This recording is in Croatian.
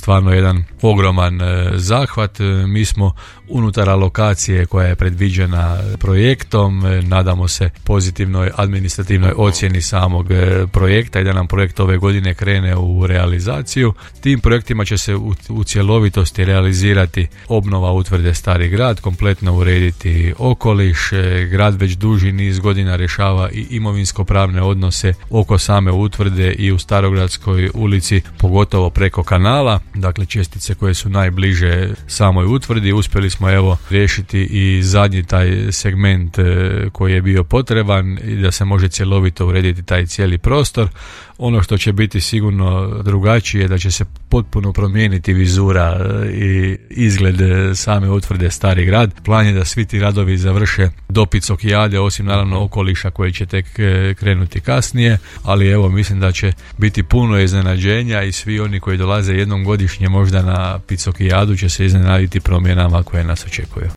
stvarno jedan ogroman zahvat. Mi smo unutar alokacije koja je predviđena projektom, nadamo se pozitivnoj administrativnoj ocjeni samog projekta i da nam projekt ove godine krene u realizaciju. Tim projektima će se u cjelovitosti realizirati obnova utvrde Stari Grad, kompletno urediti okoliš. Grad već duži niz godina rješava i imovinsko-pravne odnose oko same utvrde i u Starogradskoj ulici, pogotovo preko kanala, dakle čestice koje su najbliže samoj utvrdi. Uspjeli smo evo riješiti i zadnji taj segment koji je bio potreban i da se može cjelovito urediti taj cijeli prostor. Ono što će biti sigurno drugačije je da će se potpuno promijeniti vizura i izgled same utvrde Stari Grad. Plan je da svi ti radovi završe do Picokijade, osim naravno okoliša koji će tek krenuti kasnije, ali evo mislim da će biti puno iznenađenja i svi oni koji dolaze jednom godišnje možda na Picokijadu će se iznenaditi promjenama koje nas očekuju.